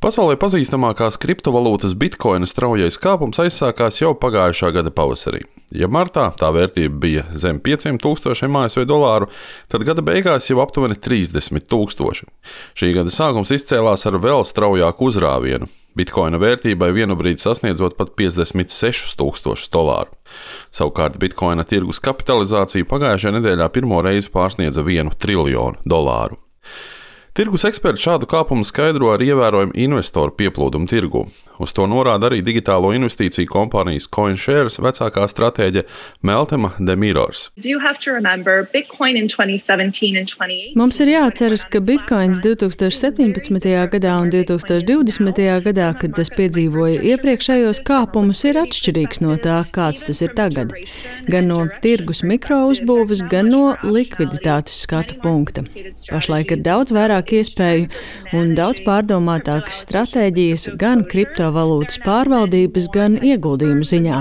Pasaulē pazīstamākās kriptovalūtas bitkoina straujais kāpums aizsākās jau pagājušā gada pavasarī. Ja martā tā vērtība bija zem 500,000 ASV dolāru, tad gada beigās jau aptuveni 30,000. Šī gada sākums izcēlās ar vēl straujāku uzrāvienu. Bitkoina vērtībai vienu brīdi sasniedzot pat 56,000 dolāru. Savukārt bitkoina tirgus kapitalizācija pagājušajā nedēļā pirmo reizi pārsniedza 1 triljonu dolāru. Tirgus eksperti šādu kāpumu skaidro ar ievērojumu investoru pieplūdumu tirgū. Uz to norāda arī digitālo investīciju kompānijas CoinShares vecākā stratēģe Meltema Demirors. Mums ir jāatceras, ka bitkoins 2017. gadā un 2020. gadā, kad tas piedzīvoja iepriekšējos kāpumus, ir atšķirīgs no tā, kāds tas ir tagad. Gan no tirgus mikrouzbūves, gan no likviditātes skatu punkta. Pašlaik ir daudz vairāk iespēju un daudz pārdomātākas stratēģijas gan kriptovalūtas pārvaldības, gan ieguldījumu ziņā.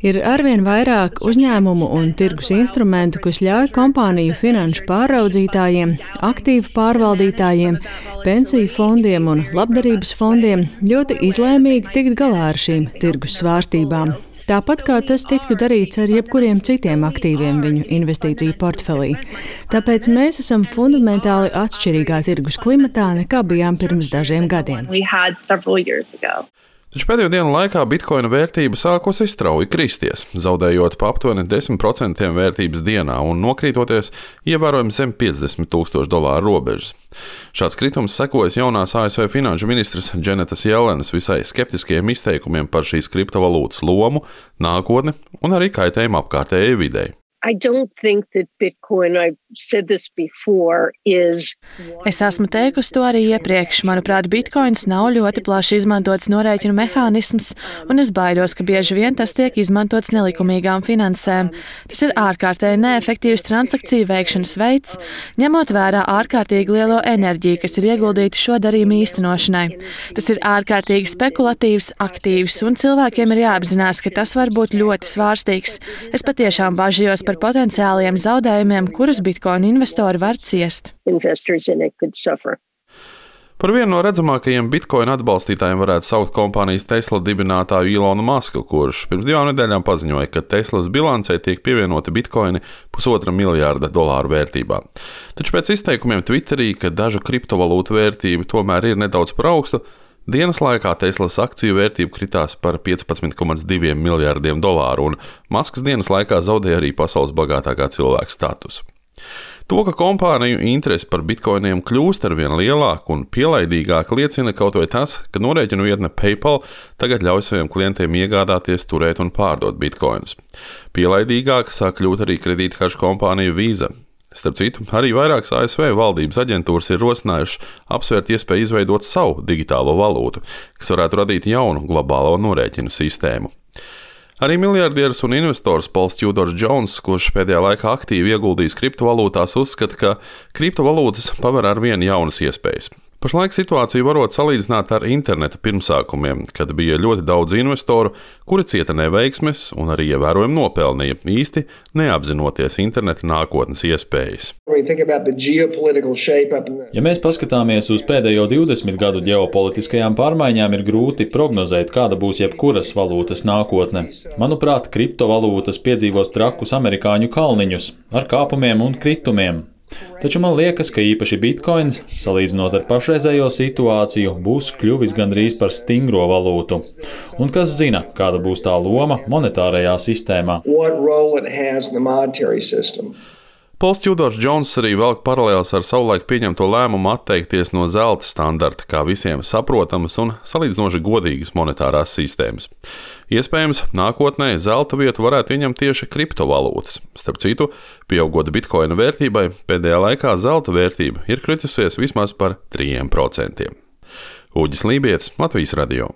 Ir arvien vairāk uzņēmumu un tirgus instrumentu, kas ļauj kompāniju finanšu pārraudzītājiem, aktīvu pārvaldītājiem, pensiju fondiem un labdarības fondiem ļoti izlēmīgi tikt galā ar šīm tirgus svārstībām. Tāpat kā tas tiktu darīts ar jebkuriem citiem aktīviem viņu investīciju portfelī. Tāpēc mēs esam fundamentāli atšķirīgā tirgus klimatā, nekā bijām pirms dažiem gadiem. Taču pēdējo dienu laikā bitkoina vērtība sākusi strauji kristies, zaudējot pa aptuveni 10% vērtības dienā un nokrītoties ievērojami zem 50,000 dolāru robežas. Šāds kritums sekojas jaunās ASV finanšu ministres Janetas Jellenas visai skeptiskiem izteikumiem par šīs kriptovalūtas lomu, nākotni un arī kaitējumu apkārtējai videi. Es esmu teikusi to arī iepriekš. Manuprāt, bitkoins nav ļoti plaši izmantots norēķinu mehānisms, un es baidos, ka bieži vien tas tiek izmantots nelikumīgām finansēm. Tas ir ārkārtēji neefektīvs transakciju veikšanas veids, ņemot vērā ārkārtīgi lielo enerģiju, kas ir ieguldīta šo darījumu īstenošanai. Tas ir ārkārtīgi spekulatīvs, aktīvs, un cilvēkiem ir jāapzinās, ka tas var būt ļoti svārstīgs. Es patiešām bažījos par potenciāliem zaudējumiem, kurus bitkoina investori var ciest. Par vienu no redzamākajiem bitkoina atbalstītājiem varētu saukt kompānijas Tesla dibinātāju Ilonu Masku, kurš pirms 2 nedēļām paziņoja, ka Teslas bilancē tiek pievienoti bitkoini $1,5 miljārda vērtībā. Taču pēc izteikumiem Twitterī, ka dažu kriptovalūtu vērtība tomēr ir nedaudz par augstu, dienas laikā Teslas akciju vērtība kritās par $15,2 miljārdiem, un Masks dienas laikā zaudēja arī pasaules bagātākā cilvēka statusu. To, ka kompāniju interese par bitkoiniem kļūst arvien lielāka un pielaidīgāka, liecina kaut vai tas, ka norēķinu vietne PayPal tagad ļauj saviem klientiem iegādāties, turēt un pārdot bitkoinus. Pielaidīgāka sāk kļūt arī kredītkaršu kompānija Visa. Starp citu, arī vairākas ASV valdības aģentūras ir rosinājušas apsvērt iespēju izveidot savu digitālo valūtu, kas varētu radīt jaunu globālo norēķinu sistēmu. Arī miljardieris un investors Pauls Tudors Jones, kurš pēdējā laikā aktīvi ieguldījis kriptovalūtās, uzskata, ka kriptovalūtas paver arvien jaunas iespējas. Pašlaik situāciju varot salīdzināt ar interneta pirmsākumiem, kad bija ļoti daudz investoru, kuri cieta neveiksmes un arī ievērojami nopelnīja, īsti neapzinoties interneta nākotnes iespējas. Ja mēs paskatāmies uz pēdējo 20 gadu ģeopolitiskajām pārmaiņām, ir grūti prognozēt, kāda būs jebkuras valūtas nākotne. Manuprāt, kriptovalūtas piedzīvos trakus amerikāņu kalniņus ar kāpumiem un kritumiem. Taču man liekas, ka īpaši bitkoins, salīdzinot ar pašreizējo situāciju, būs kļuvis gandrīz par stingro valūtu. Un kas zina, kāda būs tā loma monetārajā sistēmā. Pauls Tudors Jones arī velk paralēles ar savulaik pieņemto lēmumu atteikties no zelta standarta kā visiem saprotamas un salīdzinoši godīgas monetārās sistēmas. Iespējams, nākotnē zelta vietu varētu ieņemt tieši kriptovalūtas. Starp citu, pieaugot bitkoina vērtībai, pēdējā laikā zelta vērtība ir kritusies vismaz par 3%. Uģis Lībietis, Latvijas radio.